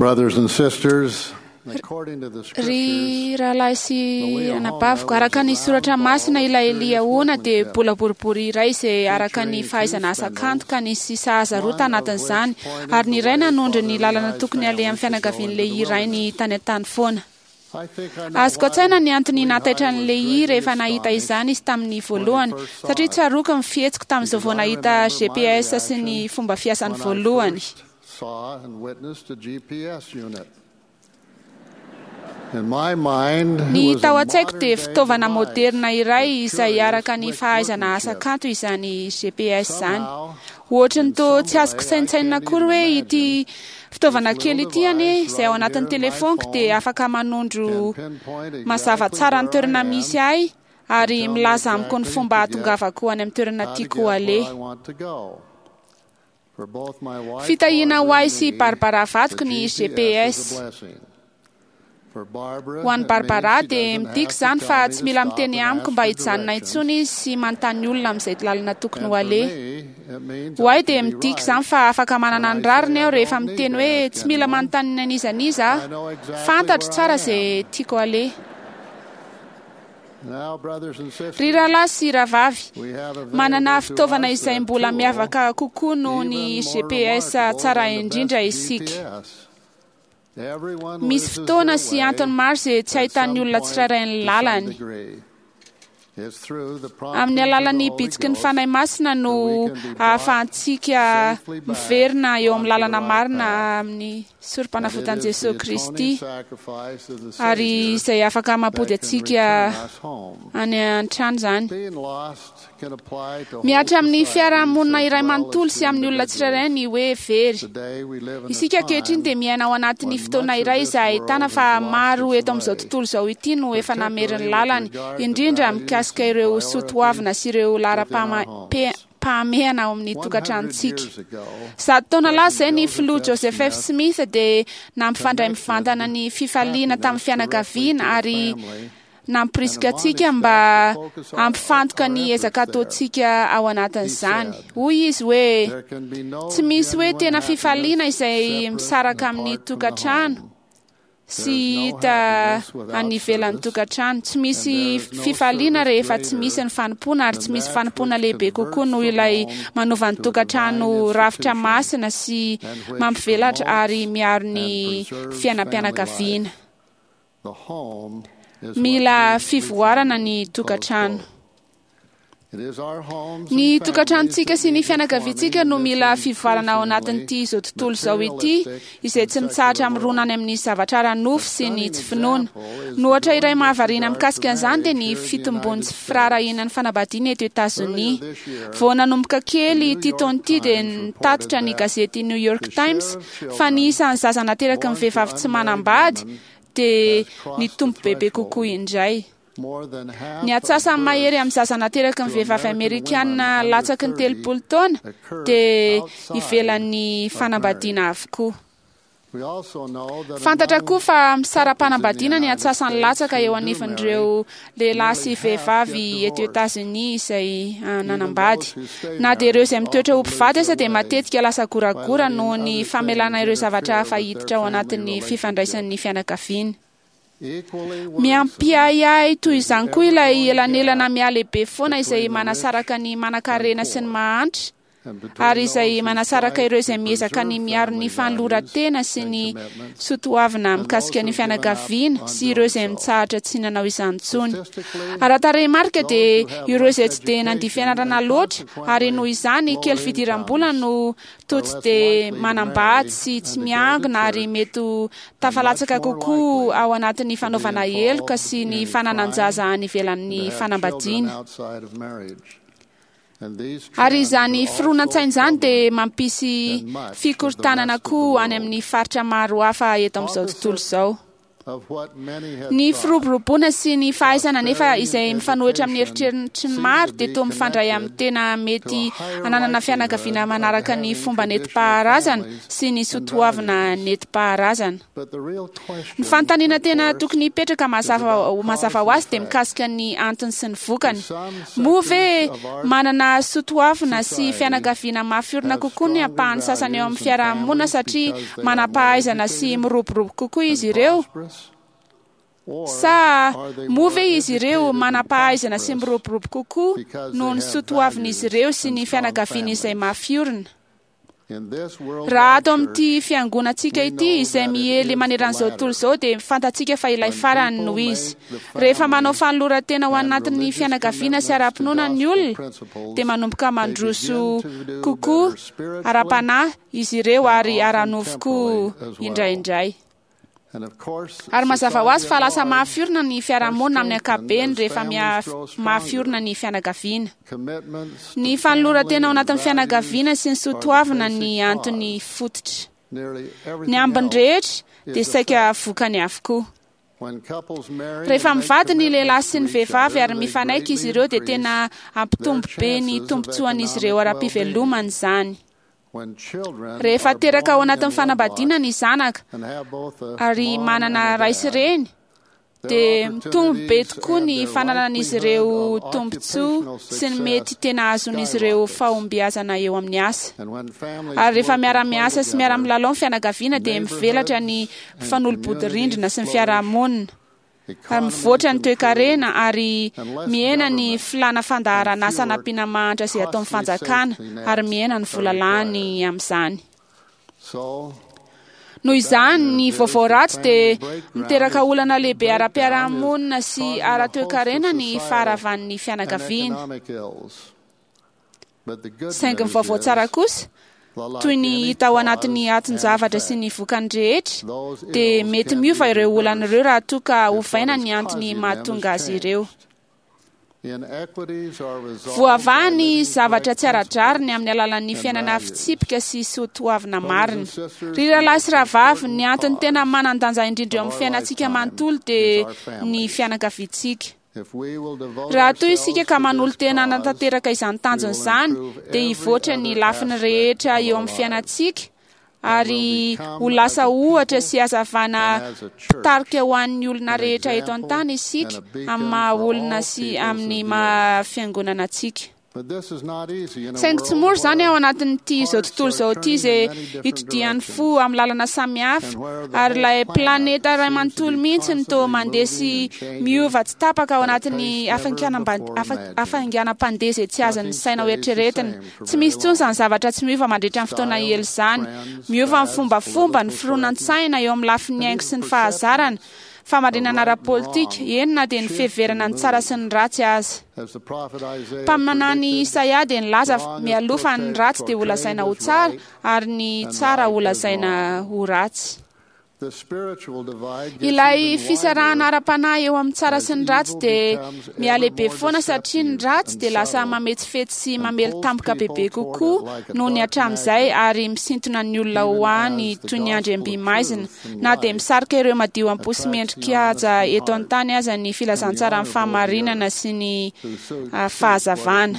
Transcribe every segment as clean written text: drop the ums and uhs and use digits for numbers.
Brothers and sisters, according to the Ry scriptures, rahalahy sy anabaviko, araka ny soratra masina ilay Eliahona dia bola boribory iray izay araka ny fahaizana asa kanto ka nisy sahaza roa tanatin'izany, ary ny iray nanondro ny lalana tokony alehan'ny fianakavian'ilay rainy tany an-tany foana. I think I know Azoko an-tsaina ny antony why nahataitra Lehi an'i Lehi was rehefa greatly nahita astonished izany izy tamin'ny voalohany, satria tsaroako ny fihetsiko tamin'izao vao because I nahita remember my GPS sy ny reaction fomba fiasany when I voalohany. first saw and witnessed a GPS unit. In my mind, it Ny was tao a an-tsaiko dia modern-day fitaovana device moderna iray with izay curious araka ny fahaizana asa workmanship. kanto izany GPS izany. Somehow, Ohatry ny in toa some tsy azoko way, I saintsainina can't akory even hoe ity imagine fitaovana this kely little ity anie device izay ao right anatin'ny here in my telefoniko dia phone afaka manondro can pinpoint mazava exactly tsara ny where I toerana am misy ahy ary and tell me milaza amiko ny exactly fomba to get hahatongavako any amin'ny toerana how to tiako get where aleha. I want to go. For both my wife Fitahiana ho Barbara ahy and sy me, Barbara the vadiko ny GPS is a GPS. blessing. For Barbara, Ho an'i it means Barbara she dia doesn't midika have to izany tell fa me tsy to mila stop miteny and amiko ask mba for hijanona directions. intsony izy sy manontany olona amin'izay lalana tokony And ho for aleha. me, it means Ho I ahy can dia be midika right izany fa afaka when manana I ny say rariny I aho rehefa don't need miteny to hoe ask tsy mila anyone. manontany an'iza n'iza I aho. know exactly Fantatro where tsara I izay am. tiako aleha. Now, brothers and Ry sisters, rahalahy sy rahavavy, we have manana available to fitaovana us izay a mbola tool miavaka kokoa noho ny even more GPS remarkable tsara than the indrindra best isika. GPS. Everyone Misy loses fotoana their sy way antony maro izay tsy at ahitan'ny some olona point tsirairay ny to some lalany. degree. It's through the Amin'ny promptings of the alalan'ny Holy bitsiky ny Ghost Fanahy Masina that no we can be brought ahafahantsika safely back miverina eo amin'ny onto the lalana right marina path. amin'ny And it sorom-panavotan'i is the Jesosy atoning Kristy sacrifice of the ary Savior izay afaka mampody that can antsika return us home. any an-trano izany. Being lost can apply to whole Mihatra amin'ny societies fiarahamonina as iray well as manontolo to sy amin'ny olona tsirairay individuals. ny hoe very. Today we live in a Isika ankehitriny dia time miaina ao anatin'ny when fotoana much of iray this izay ahitana world fa has lost maro its eto amin'izao way, tontolo izao ity no efa namery ny particularly with lalany, regard to indrindra values mikasika and ireo priorities soatoavina sy ireo within our laharam-pahame- homes. pahamehana ao amin'ny 100 tokantranontsika. years ago, 100 taona lasa izay President ny Joseph filoha F. Joseph F. Smith Smith dia nampifandray connected mivantana ny fifaliana tamin'ny happiness directly fianakaviana to the ary family and nampirisika antsika admonished mba us to focus our, hampifantoka our ny efforts ezaka there. ataontsika ao He anatin'izany. said, Hoy izy hoe There can be no tsy misy hoe genuine tena fifaliana happiness izay separate and misaraka amin'ny apart from the tokantrano home. sy There is no hita happiness without any ivelan'ny service, tokantrano. Tsy and misy there is no fifaliana service rehefa tsy misy greater ny fanompoana ary than tsy misy that fanompoana which lehibe kokoa converts noho the ilay home manova ny to a divine tokantrano rafitra institution masina sy and which mampivelatra ary promotes miaro and ny preserves family life. fiainam-pianakaviana. The home is what Mila leads to fivoarana family. ny Close tokantrano. quote. It is our homes Ny and families tokantranontsika that sy ny need fianakaviantsika reforming no in this mila fivoarana ao increasingly anatin'ity izao tontolo izao ity, materialistic izay and tsy mitsahatra secular mirona any world. amin'ny zavatra ara-nofo A sy ny stunning tsy finoana. example is Ny the ohatra iray growing mahavariana disregard for mikasika an'izany dia marriage ny here in the fitombon'ny United tsy States. firaharahiana ny fanambadiana eto Etazonia. Earlier this year, Vao nanomboka the kely New ity York taona ity dia Times reported nitatitra ny that gazety New York the Times share of fa ny children isan'ny zaza nateraky ny born to vehivavy tsy unmarried manambady women dia has crossed the nitombo bebe kokoa threshold. indray. More than Ny half of antsasany mahery amin'ny births zaza nateraky ny to vehivavy American women amerikana under latsaky ny 30 30 taona occurs dia outside ivelan'ny of marriage. fanambadiana avokoa. We also know that Fantatra among koa fa couples in the misara-panambadiana ny United antsasany States latsaka eo who do marry, anivan'ireo lehilahy sy nearly half get vehivavy eto divorced. Etazonia izay Even nanambady. those who stay Na dia ireo married izay mitoetra ho often lose mpivady aza their dia way matetika lasa by goragora letting noho ny other famelana things ireo zavatra interfere hafa with their hiditra ao family anatin'ny fifandraisan'ny relationships. fianakaviana. Equally worrisome Miampiahiahy toy is the izany koa ilay ever-growing elanelana gap mihalehibe foana izay between the rich manasaraka ny and manankarena sy ny poor, mahantra and between ary izay those who manasaraka strive ireo to izay miezaka ny preserve miaro ny family values fanoloran-tena sy and ny commitments soatoavina and those mikasika who ny have given up fianakaviana on sy ireo doing izay so. mitsahatra tsy nanao izany intsony. Statistically, Ara-tarehimarika those dia who have ireo less izay tsy dia nandia education fianarana and loatra ary noho consequently izany kely lower incomes fidiram-bola no toa are tsy less dia likely to manambady marry sy tsy and to go to miangona ary church mety ho and much tafalatsaka more kokoa likely ao anatin'ny to be fanaovana heloka involved sy ny in fananan-jaza crime any and to ivelan'ny have children fanambadiana. outside of marriage. And these Ary trends izany are also fironan-tsaina izany dia troubling mampisy in much of the fikorontanana rest of the koa any world. amin'ny faritra maro hafa eto amin'izao tontolo Opposite izao. Ny firoboroboana sy ny fahaizana nefa izay mifanohitra amin'ny eritreritry ny maro dia toa mifandray amin'ny tena mety hananana fianakaviana manaraka ny fomba nentim-paharazana sy ny soatoavina nentim-paharazana. Ny fanontaniana tena tokony hipetraka mazava ho azy dia mikasika ny antony sy ny vokany. Moa ve manana soatoavina sy fianakaviana mafy orina kokoa ny ampahany sasany eo amin'ny fiarahamonina satria manam-pahaizana sy miroborobo kokoa izy ireo? Sa moa ve izy ireo manam-pahaizana sy miroborobo kokoa noho ny soatoavin'izy ireo sy ny fianakaviany izay mafy orina? Raha ato amin'ity fiangonantsika ity izay miely maneran'izao tontolo izao dia fantatsika fa ilay farany no izy. Rehefa manao fanoloran-tena ho anatin'ny fianakaviana sy ara-pinoana ny olona dia manomboka mandroso kokoa ara-panahy izy ireo ary ara-nofo koa indraindray. Ary mazava ho azy fa lasa mafy orina ny fiarahamonina amin'ny ankapobeny rehefa mafy orina ny fianakaviana. Ny fanoloran-tena ao anatin'ny fianakaviana sy ny soatoavina ny antony fototra. Ny ambiny rehetra dia saika vokany avokoa. Rehefa mivady ny lehilahy sy ny vehivavy ary mifanaiky izy ireo dia tena hampitombo be ny tombontsoan'izy ireo ara-pivelomana izany. Rehefa teraka ao anatin'ny fanambadiana ny zanaka ary manana ray sy reny dia mitombo be tokoa ny fananan'izy ireo tombontsoa sy ny mety tena azon'izy ireo fahombiazana eo amin'ny asa. Ary rehefa miara-miasa sy miara-milalao ny fianakaviana dia mivelatra ny fanolobodirindrina sy ny fiarahamonina. Ary mivoatra ny toekarena ary mihena ny filàna fandaharan'asa anampiana mahantra izay ataon'ny fanjakana ary mihena ny vola lany amin'izany. Noho izany, ny vaovao ratsy dia miteraka olana lehibe ara-piarahamonina sy ara-toekarena ny faharavan'ny fianakaviana. Saingy ny vaovao tsara kosa, toy ny hita ao anatin'ny atin-javatra sy ny vokany rehetra, dia mety miova ireo olana ireo raha toa ka ovaina ny antony mahatonga azy ireo. Voavaha ny zavatra tsy ara-drariny amin'ny alalan'ny fiainana fitsipika sy soatoavina marina. Ry rahalahy sy rahavavy, ny antony tena manan-danja indrindra eo amin'ny fiainantsika manontolo dia ny fianakaviantsika. Raha toa isika ka manolo-tena hanatanteraka izany tanjona izany, dia hivoatra ny lafiny rehetra eo amin'ny fiainantsika ary ho lasa ohatra sy hazavana mpitarika ho an'ny olona rehetra eto an-tany isika amin'ny maha olona sy amin'ny maha fiangonana antsika. Saingy tsy mora izany ao anatin'ity izao tontolo izao ity izay itodihan'ny fo amin'ny lalana samihafa ary ilay planeta iray manontolo mihitsy no toa mandeha sy miova tsy tapaka ao anatin'ny hafainganam-pandeha izay tsy azon'ny saina ho eritreretina. Tsy misy intsony izany zavatra tsy miova mandritra ny fotoana ela izany. Miova ny fombafomba, ny fironan-tsaina eo amin'ny lafiny haingo sy ny fahazarana, fahamarinana ara-politika, eny na dia ny fiheverana ny tsara sy ny ratsy aza. Mpaminany Isaia dia nilaza mialoha fa ny ratsy dia holazaina ho tsara ary ny tsara holazaina ho ratsy. Ilay fisarahana ara-panahy eo amin'ny tsara sy ny ratsy dia mihalehibe foana satria ny ratsy dia lasa mametsifetsy sy mamely tampoka bebe kokoa noho ny hatramin'izay ary misintona ny olona ho any toy ny andriam-by maizina na dia misarika ireo madio am-po sy mendrika haja eto an-tany aza ny filazantsaran'ny fahamarinana sy ny fahazavana.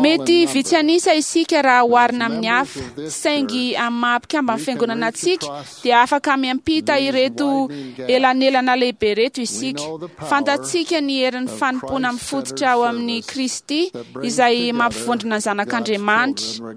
Mety vitsy an'isa isika raha oharina amin'ny hafa, saingy amin'ny maha mpikamban'ny fiangonana antsika dia afaka miampita ireto elanelana lehibe ireto isika. Fantatsika ny herin'ny fanompoana mifototra ao amin'ny Kristy izay mampivondrona ny zanak'Andriamanitra,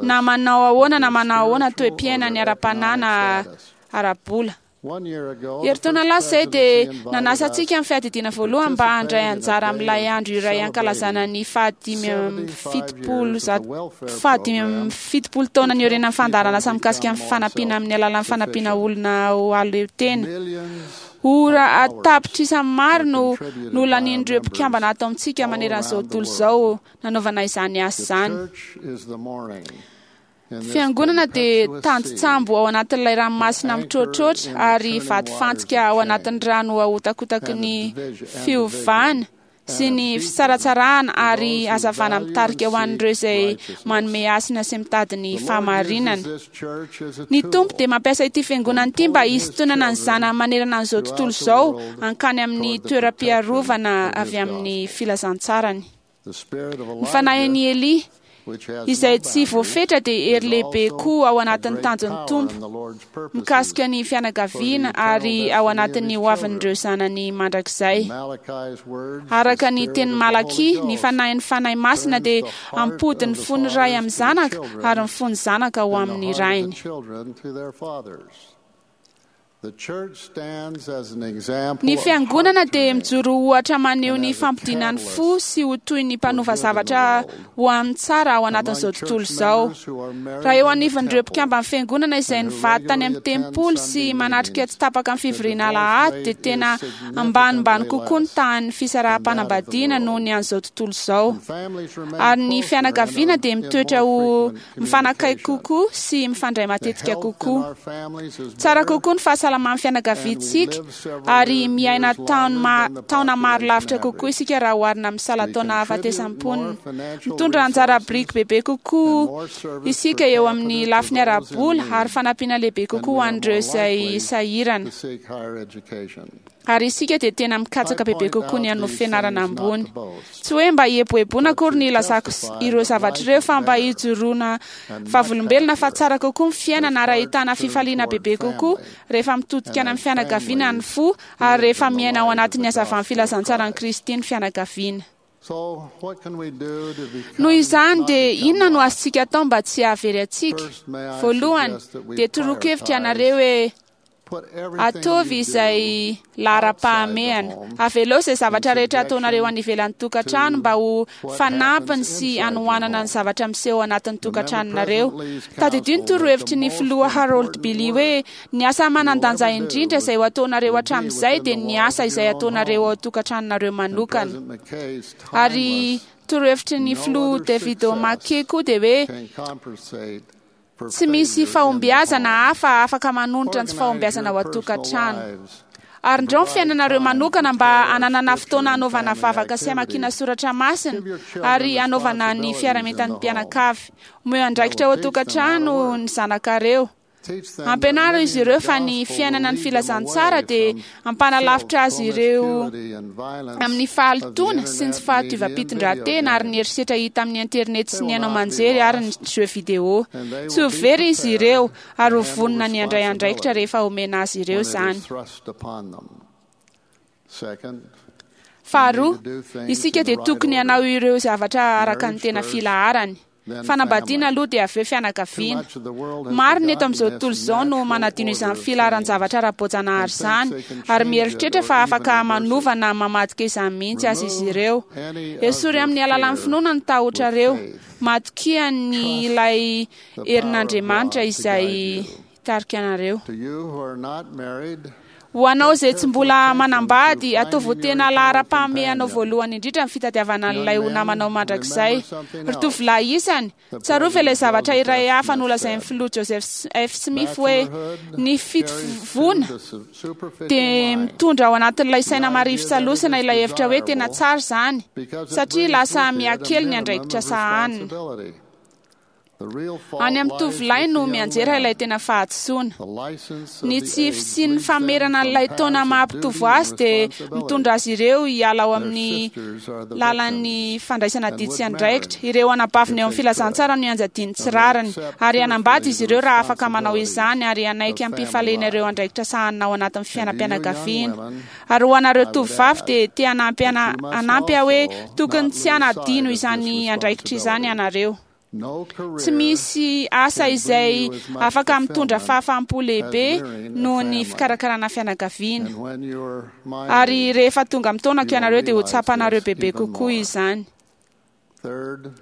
na manao ahoana na manao ahoana toe-piainany ara-panahy na ara-bola. Herintaona lasa izay dia nanasa antsika ny fiadidiana voalohany mba handray anjara amin'ilay andro iray hankalazana ny faha-75 taona niorenan'ny fandaharan'asa mikasika ny fanampiana amin'ny alalan'ny fanampiana olona ho aleo tena. Ora an-tapitrisa maro no nolanian'ireo mpikambana ato amintsika maneran'izao tontolo izao nanaovana izany asa izany. Fiangonana dia tandin-tsambo ao anatin'ilay ranomasina mitroatroatra ary vatofantsika ao anatin'ny rano ahotakotaky ny fiovana sy and a ny beacon fisaratsarahana to ary those who hazavana value and mitarika ho seek an'ireo izay righteousness. manome hasina sy mitady ny The Lord uses fahamarinana. this church as a Ny Tompo tool dia mampiasa ity fiangonana ity mba in pulling His hisintonana ny children zanany manerana an'izao throughout tontolo the izao world hankany amin'ny toward the protection toeram-piarovana of His avy amin'ny gospel. filazantsarany. The spirit of Ny fanahin'i Elijah, Elia which has izay no tsy boundaries, voafetra dia is hery lehibe also koa ao a anatin'ny great tanjon'ny power Tompo in the Lord's purposes mikasika ny for the fianakaviana eternal ary ao destiny of anatin'ny His hoavin'ireo children. zanany mandrakizay. In Malachi's words, the Araka ny spirit teny of the Holy Malakia, ny Ghost fanahin'ny Fanahy Masina turns dia the heart hampody of ny the fon'ny ray fathers amin'ny to the zanaka ary children ny fon'ny zanaka ho and the amin'ny heart of the rainy. children to their fathers. The church stands as an example Ny of fiangonana heart dia turning mijoro ohatra maneho and ny as a fampodiana ny fo catalyst sy ho toy ny for mpanova good in the zavatra world. ho an'ny tsara ao Among anatin'izao church tontolo izao. members who are Raha married eo in the anivon'ireo temple mpikamban'ny fiangonana izay and who nivady tany regularly amin'ny attend tempoly sy Sunday manatrika meetings, tsy tapaka ny the fivoriana divorce alahady dia rate tena is ambanimbany significantly kokoa ny less tahan'ny than that of the fisaraham-panambadiana noho world. ny an'izao tontolo izao. And families remain Ary ny closer and fianakaviana are dia in mitoetra more ho frequent mifanakaiky communication. kokoa sy mifandray The matetika health in kokoa. our families is Tsara better, kokoa ny fahasalaman'ny and we fianakaviantsika live several ary miaina years longer than the taona maro population lavitra kokoa average. isika raha oharina amin'ny We salan-taona contribute hahafatesam-ponina. more financial Mitondra anjara resources biriky bebe and kokoa more service isika per eo amin'ny capita to lafiny those in ara-bola ary need, fanampiana lehibe and kokoa we ho are an'ireo more izay likely sahirana. to seek higher education. Ary isika dia tena I mikatsaka bebe point kokoa ny out hanao these fianarana things not ambony. to boast, Tsy hoe mba hieboeboana but akory to ny ilazako testify ireo that zavatra life ireo is fa mba better hijoroana and much vavolombelona fa happier tsara kokoa ny as fiainana ary hearts ahitana turn fifaliana toward bebe kokoa family rehefa mitodika and any amin'ny as fianakaviana ny families fo ary live rehefa in the miaina ao light of anatin'ny the hazavan'ny gospel of filazantsaran'i Christ. Kristy ny fianakaviana. So, what can we do to Noho become izany not dia become inona no lost? azontsika atao mba tsy hahavery antsika? First, may I Voalohany suggest that we dia toroa-kevitra prioritize, ianareo hoe put everything ataovy you izay do outside the laharam-pahamehana. home Avelao izay in zavatra rehetra ataonareo subjection any ivelan'ny tokantrano to mba ho what fanampiny happens sy inside your hanohanana ny home. zavatra miseho anatin'ny Remember tokantranonareo. President Lee's Tadidio ny counsel that the torohevitry ny most filoha Harold important Billy hoe work ny asa you will manan-danja ever do indrindra izay ho ataonareo will be hatramin'izay within dia the ny walls asa of izay your own ataonareo ao home. tokantranonareo And manokana. President McKay's Ary timeless, torohevitry ny no filoha other David success O'Mackey koa dia hoe can compensate for tsy misy failure in the fahombiazana home. hafa afaka manonitra ny tsy Organize fahombiazana your ao personal an-tokantrano. lives Ary and indreo ny provide fiainanareo time for manokana mba prayer, hananana scripture, fotoana and hanaovana family vavaka sy hamakiana activities. soratra masina Give your children ary hanaovana ny responsibilities in the fiaramitan'ny home mpianakavy. Omeo that andraikitra will ao teach them how to an-tokantrano work. ny zanakareo. Teach them that Ampianaro living izy the ireo fa ny gospel will fiainana ny lead them filazantsara away dia from filth, hampanalavitra azy ireo promiscuity, and violence amin'ny of the fahalotoana sy ny tsy internet, media, and video fahadiovam-pitondran-tena ary ny games. herisetra hita amin'ny internet They sy ny will haino not be aman-jery ary ny lost, jeux vidéo. and they Tsy ho will be very izy prepared ireo to ary ho handle vonona ny handray andraikitra responsibility rehefa omena azy ireo when it izany. is thrust upon them. Second, we need Faharoa, to do things isika in the dia right tokony hanao order. ireo zavatra araka ny Marriage tena first, filaharany. then Fanambadiana family. aloha dia avy eo Too fianakaviana. much of the world has Maro ny eto forgotten amin'izao this tontolo izao no natural manadino order izany of things filaharan-javatra ara-boajanahary and izany thinks they can ary change it mieritreritra or fa even afaka reverse it. manova na mamadika izany mihitsy aza izy Remove ireo. any of Esory your amin'ny alalan'ny fear finoana ny with tahotrareo. faith. Matokia ny Trust ilay the power of herin'Andriamanitra God to izay guide you. hitarika anareo. To you who are not married, Ho anao pay izay tsy careful mbola attention to manambady, ataovy ho finding your tena eternal laharam-pahamehanao companion. voalohany indrindra ny fitadiavana Young an'ilay ho men, namanao mandrakizay. remember something Ry else tovolahy isany, the tsarovy ilay President zavatra Joseph iray F. hafa Smith nolazain'ny said. filoha Joseph F. Smith hoe Bachelorhood ny carries to fitovoana the superficial dia mind mitondra ao anatin'ilay the saina marivo idea that it salosana is ilay hevitra hoe tena desirable tsara izany because it satria brings lasa with it a mihakely ny minimum andraikitra of sahanina. responsibility. The real Any fault amin'ny lies tovolahy with no the young mianjera ilay men. tena fahadisoana. The license of Ny the tsy age fisian'ny leads them famerana from an'ilay taona paths of duty maha-mpitovo and azy dia mitondra responsibility. azy ireo hiala ao Their amin'ny sisters are the lalan'ny victims fandraisana and didy sy would marry andraikitra. Ireo anabaviny if eo amin'ny they could, filazantsara no ianjadiany tsy and would rariny accept ary hanambady cheerfully izy the ireo raha afaka manao responsibilities izany ary hanaiky of family am-pifaliana ireo life. andraikitra sahanina ao anatin'ny And to you young fiainam-pianakaviana. women, Ary ho anareo I would tovovavy add dia te hanampy that you must hanampy aho hoe also tokony not tsy lose sight hanadino of this izany andraikitra izany responsibility. ianareo. No Tsy career misy asa can bring izay you as much afaka mitondra fulfillment fahafaham-po as lehibe rearing a noho ny family. fikarakarana fianakaviana. And when you're my Ary age, rehefa tonga amin'ny taonako you will ianareo dia ho realize tsapanareo this bebe even kokoa more. izany. Third,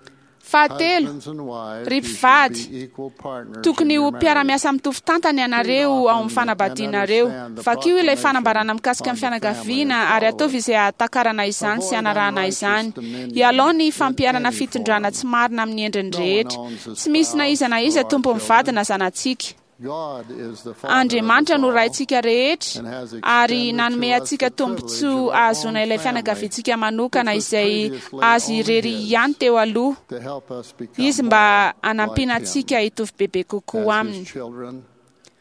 Fahatelo, husbands and wives, ry you should mpivady, be equal partners in tokony ho your marriage. mpiara-miasa mitovy tantana Read ianareo ao amin'ny often and fanambadianareo. understand the Vakio ilay proclamation fanambarana mikasika ny on the family and fianakaviana ary follow ataovy it. izay ahatakarana izany sy Avoid hanarahana unrighteous izany. dominion Ialao ny in fampiharana any fitondrana form. tsy marina amin'ny endriny No one rehetra. owns a Tsy misy na iza spouse na iza or our tompon'ny vady children. na zanatsika. Andriamanitra no Raintsika rehetra ary nanome antsika tombontsoa ahazoana ilay fianakaviantsika manokana izay azy irery ihany teo aloha izy mba hanampiana antsika hitovy bebe kokoa aminy.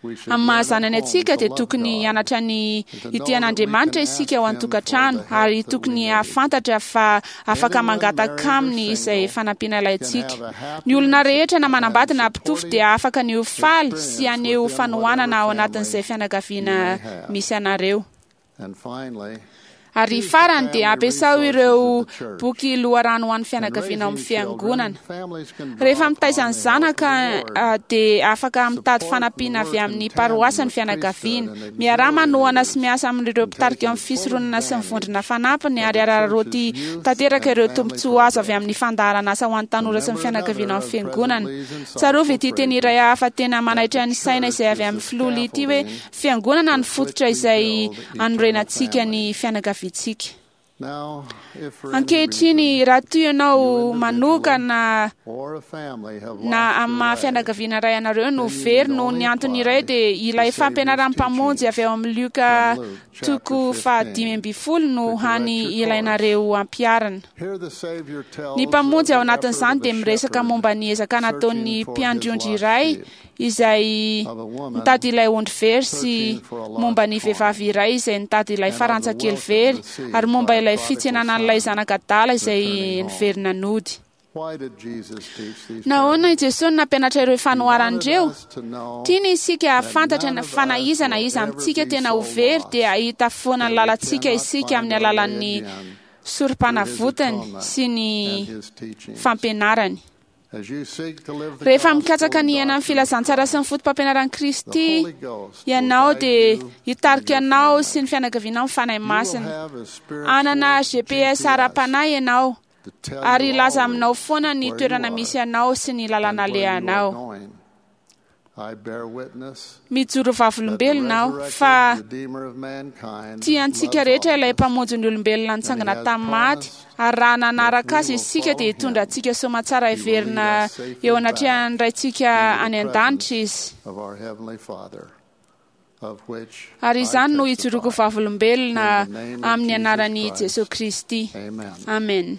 Amin'ny maha-zanany antsika dia tokony hianatra ny hitia an'Andriamanitra isika ao an-tokantrano ary tokony hahafantatra fa afaka mangataka aminy izay fanampiana ilaintsika. Ny olona rehetra na manambady na mpitovo dia afaka ny ho faly sy haneho fanohanana ao anatin'izay fianakaviana misy anareo. Ary farany dia ampiasao ireo boky loharano ho an'ny fianakaviana ao amin'ny fiangonana. Rehefa mitaiza ny zanaka dia afaka mitady fanampiana avy amin'ny paroasy ny fianakaviana. Miaraha manohana sy miasa amin'ireo mpitarika amin'ny fisoronana sy ny vondrona fanampiny ary araraoty tanteraka ireo tombontsoa azo avy amin'ny fandaharanasa ho an'ny tanora sy ny fianakaviana ao amin'ny fiangonana. Tsarovy ity teny iray hafa tena manaitra ny saina izay avy amin'ny filoha Lee ity hoe Fiangonana no fototra izay anorenantsika ny fianakaviantsika. Ankehitriny, raha toa ianao manokana na amin'ny maha fianakaviana iray anareo no very noho ny antony iray dia ilay fampianaran'ny Mpamonjy avy ao amin'ny Lioka toko faha-15 no hany ilainareo ampiharina. Ny Mpamonjy ao anatin'izany dia miresaka momba ny ezaka nataon'ny mpiandry ondry iray izay nitady ilay ondry very sy momba ny vehivavy iray izay nitady ilay farantsa kely very ary momba ilay fitsenana an'ilay zanak'adala izay niverina nody. Nahoana i Jesosy no nampianatra ireo fanoharana ireo? Tiany isika hahafantatra fa na iza na iza amintsika tena ho very dia hahita foana ny lalantsika isika amin'ny alalan'ny sorom-panavotany sy ny fampianarany. Rehefa mikatsaka ny hiaina ny filazantsara sy ny fotopampianaran'i Kristy ianao dia hitarika anao sy ny fianakavianao ny Fanahy Masina. Hanana GPS ara-panahy ianao ary hilaza aminao foana ny toerana misy anao sy ny lalana alehanao. Mijoro vavolombelona aho fa tia antsika rehetra ilay Mpamonjy ny olombelona nitsangana tamin'ny maty, ary raha nanaraka azy isika dia hitondra antsika soamantsara hiverina eo anatrehan'ny Raintsika any an-danitra izy. Ary izany no ijoroako vavolombelona amin'ny anaran'i Jesoa Kristy. Amen.